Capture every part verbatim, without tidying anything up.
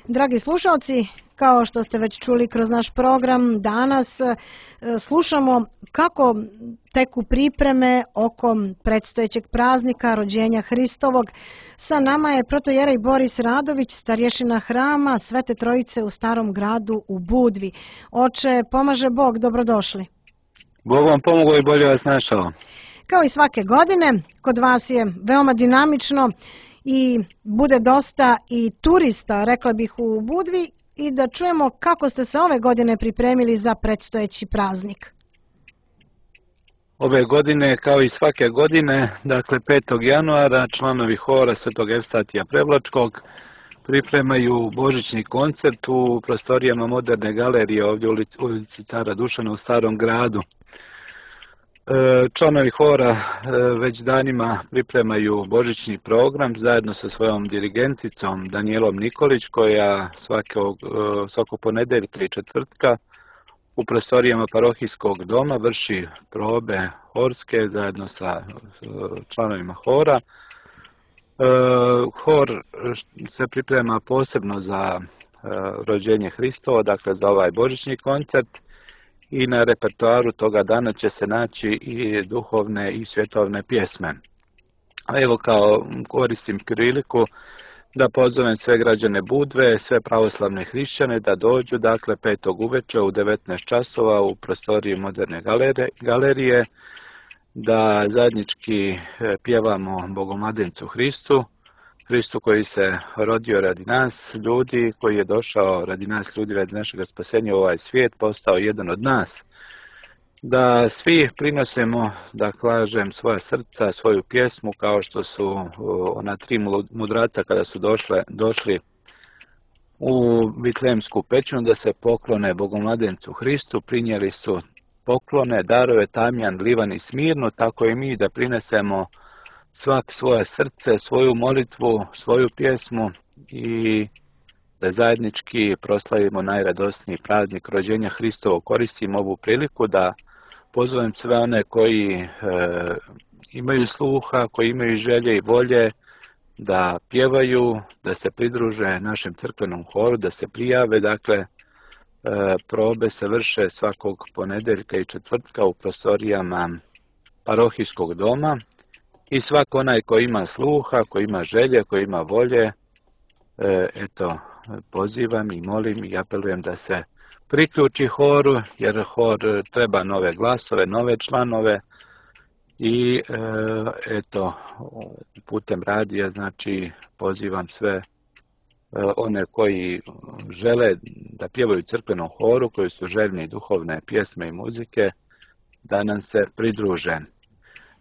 Dragi slušalci, kao što ste već čuli kroz naš program, danas slušamo kako teku pripreme oko predstojećeg praznika rođenja Hristovog. Sa nama je protojerej Boris Radović, starješina hrama Svete Trojice u Starom gradu u Budvi. Oče, pomaže Bog, dobrodošli. Bog vam pomogao i bolje vas našao. Kao i svake godine, kod vas je veoma dinamično i bude dosta i turista, rekla bih, u Budvi, i da čujemo kako ste se ove godine pripremili za predstojeći praznik. Ove godine, kao i svake godine, dakle petog januara, članovi hora Svetog Evstatija Prevlačkog pripremaju božićni koncert u prostorijama Moderne galerije ovdje u ulici Cara Dušana u Starom gradu. Članovi hora već danima pripremaju božićni program zajedno sa svojom dirigenticom Danijelom Nikolić, koja svakog, svakog ponedeljka i četvrtka u prostorijama parohijskog doma vrši probe horske zajedno sa članovima hora. Hor se priprema posebno za rođenje Hristova, dakle za ovaj božićni koncert, i na repertoaru toga dana će se naći i duhovne i svjetovne pjesme. A evo, kao koristim priliku da pozovem sve građane Budve, sve pravoslavne hrišćane da dođu, dakle petog uveče u devetnaest časova u prostoriji Moderne galerije, da zajednički pjevamo Bogomladencu Hristu, Hristu koji se rodio radi nas ljudi, koji je došao radi nas ljudi, radi našeg spasenja u ovaj svijet, postao jedan od nas. Da svi prinosimo, da kažem, svoja srca, svoju pjesmu, kao što su ona tri mudraca kada su došle, došli u Vitlejemsku pećinu da se poklone Bogomladencu Hristu, prinijeli su poklone, darove, tamjan, livan i smirno, tako i mi da prinesemo svak svoje srce, svoju molitvu, svoju pjesmu i da zajednički proslavimo najradosniji praznik rođenja Hristovog. Koristim ovu priliku da pozovem sve one koji e, imaju sluha, koji imaju želje i volje da pjevaju, da se pridruže našem crkvenom horu, da se prijave. Dakle, e, probe se vrše svakog ponedeljka i četvrtka u prostorijama parohijskog doma. I svako onaj koji ima sluha, koji ima želje, koji ima volje, eto, pozivam i molim i apelujem da se priključi horu, jer hor treba nove glasove, nove članove i eto, putem radija, znači, pozivam sve one koji žele da pjevaju crkvenom horu, koji su željni duhovne pjesme i muzike, da nam se pridruže.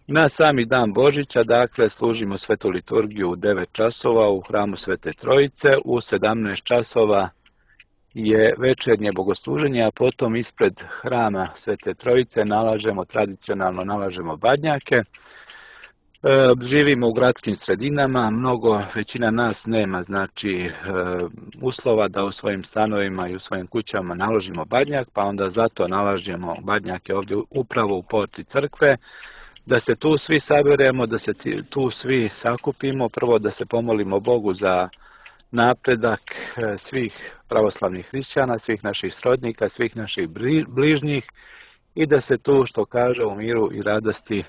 Na sami dan Božića, dakle, služimo svetu liturgiju u devet časova u hramu Svete Trojice, u sedamnaest časova je večernje bogosluženje, a potom ispred hrama Svete Trojice nalažemo, tradicionalno nalažemo badnjake. E, živimo u gradskim sredinama, mnogo, većina nas nema, znači, e, uslova da u svojim stanovima i u svojim kućama naložimo badnjak, pa onda zato nalažemo badnjake ovdje upravo u porti crkve, da se tu svi saberemo, da se tu svi sakupimo, prvo da se pomolimo Bogu za napredak svih pravoslavnih hrišćana, svih naših srodnika, svih naših bližnjih i da se tu, što kaže, u miru i radosti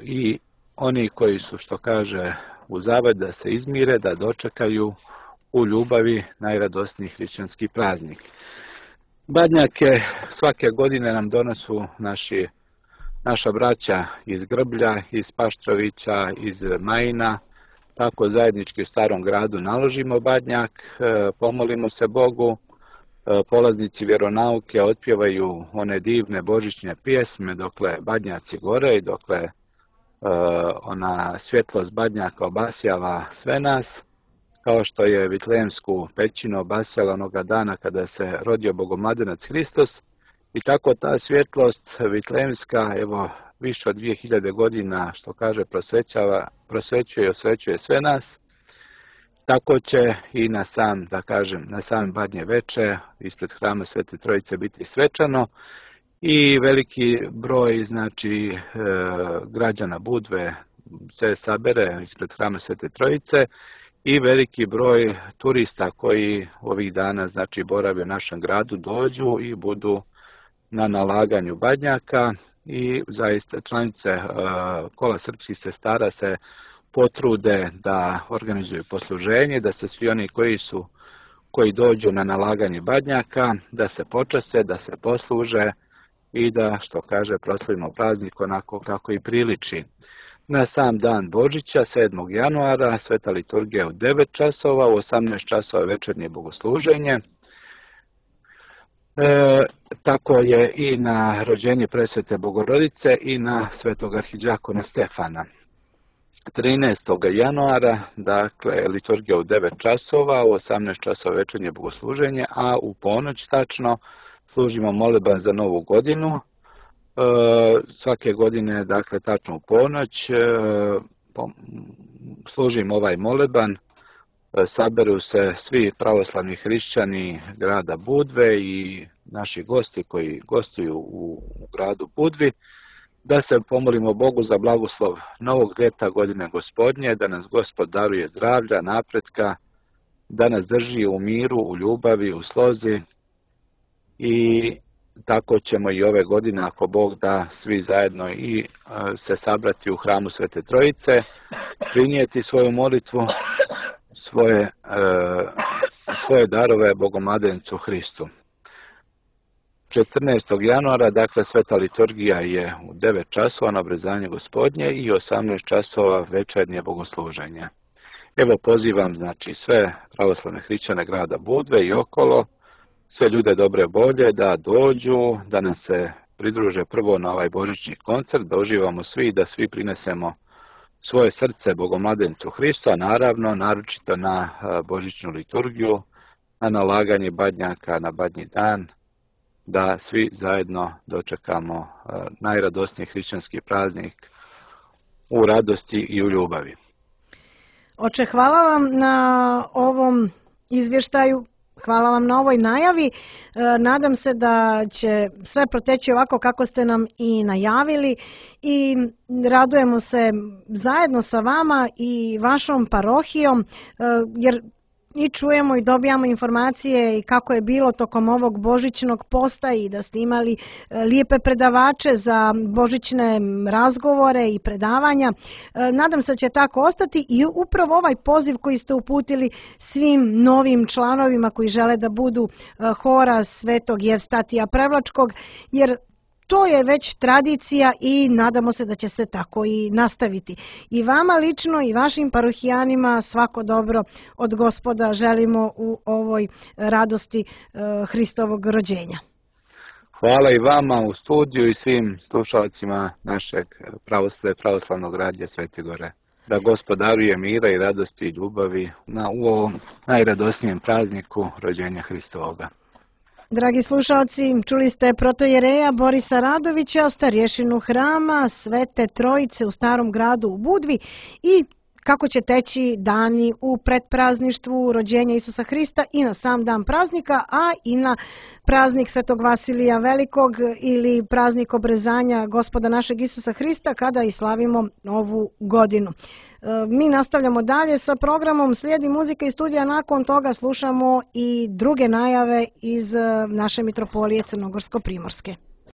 i oni koji su, što kaže, u zaved, da se izmire, da dočekaju u ljubavi najradosniji hrišćanski praznik. Badnjake svake godine nam donosu naši Naša braća iz Grblja, iz Paštrovića, iz Majina, tako zajednički u Starom gradu naložimo badnjak, pomolimo se Bogu, polaznici vjeronauke otpjevaju one divne božićne pjesme dokle badnjaci gore i dokle ona svjetlost badnjaka obasjava sve nas, kao što je Vitlejemsku pećinu obasjala onoga dana kada se rodio Bogomladenac Hristos. I tako ta svjetlost vitlejemska, evo, više od dvije hiljade godina, što kaže, prosvećava, prosvećuje i osvećuje sve nas. Tako će i na sam, da kažem, na sam badnje veče ispred hrama Svete Trojice biti svečano i veliki broj, znači, građana Budve se sabere ispred hrama Svete Trojice i veliki broj turista koji ovih dana znači borave u našem gradu dođu i budu na nalaganju badnjaka i zaista članice Kola srpskih sestara se potrude da organizuju posluženje, da se svi oni koji su koji dođu na nalaganje badnjaka, da se počase, da se posluže i da, što kaže, proslavimo praznik onako kako i priliči. Na sam dan Božića, sedmog januara, sveta liturgija u devet časova, u osamnaest časova večernje bogosluženje. E, tako je i na rođenje presvete Bogorodice i na svetog arhidžakona Stefana. trinaestog januara, dakle, liturgija u devet časova, u osamnaest časova večernje bogosluženje, a u ponoć tačno služimo moleban za novu godinu. E, svake godine, dakle, tačno u ponoć e, služimo ovaj moleban. E, saberu se svi pravoslavni hrišćani grada Budve i naši gosti koji gostuju u, u gradu Budvi, da se pomolimo Bogu za blagoslov novog ljeta godine Gospodnje, da nas Gospod daruje zdravlja, napretka, da nas drži u miru, u ljubavi, u slozi i tako ćemo i ove godine, ako Bog da, svi zajedno i se sabrati u hramu Svete Trojice, prinijeti svoju molitvu, svoje, svoje darove Bogomladenicu Hristu. četrnaestog januara, dakle, sveta liturgija je u devet časova na obrezanje Gospodnje i osamnaest časova večernje bogosluženje. Evo pozivam, znači, sve pravoslavne hrišćane grada Budve i okolo, sve ljude dobre volje da dođu, da nam se pridruže prvo na ovaj božićni koncert, da uživamo svi i da svi prinesemo svoje srce Bogomladenicu Hristu, a naravno, naročito na božićnu liturgiju, na nalaganje badnjaka na badnji dan, da svi zajedno dočekamo najradosniji hrišćanski praznik u radosti i u ljubavi. Oče, hvala vam na ovom izvještaju, hvala vam na ovoj najavi. Nadam se da će sve proteći ovako kako ste nam i najavili i radujemo se zajedno sa vama i vašom parohijom, jer i čujemo i dobijamo informacije i kako je bilo tokom ovog božićnog posta i da ste imali lijepe predavače za božićne razgovore i predavanja. Nadam se da će tako ostati i upravo ovaj poziv koji ste uputili svim novim članovima koji žele da budu hora Svetog Jevstatija Prevlačkog, jer to je već tradicija i nadamo se da će se tako i nastaviti. I vama lično i vašim parohijanima svako dobro od Gospoda želimo u ovoj radosti Hristovog rođenja. Hvala i vama u studiju i svim slušalcima našeg pravoslavnog radija Svete Gore. Da Gospod daruje mira i radosti i ljubavi na u ovom najradosnijem prazniku rođenja Hristovoga. Dragi slušalci, čuli ste protojereja Borisa Radovića, starješinu hrama Svete Trojice u Starom gradu u Budvi i kako će teći dani u predprazništvu rođenja Isusa Hrista i na sam dan praznika, a i na praznik Svetog Vasilija Velikog ili praznik obrezanja Gospoda našeg Isusa Hrista kada i slavimo novu godinu. Mi nastavljamo dalje sa programom, slijedi muzika iz studija, nakon toga slušamo i druge najave iz naše mitropolije Crnogorsko-Primorske.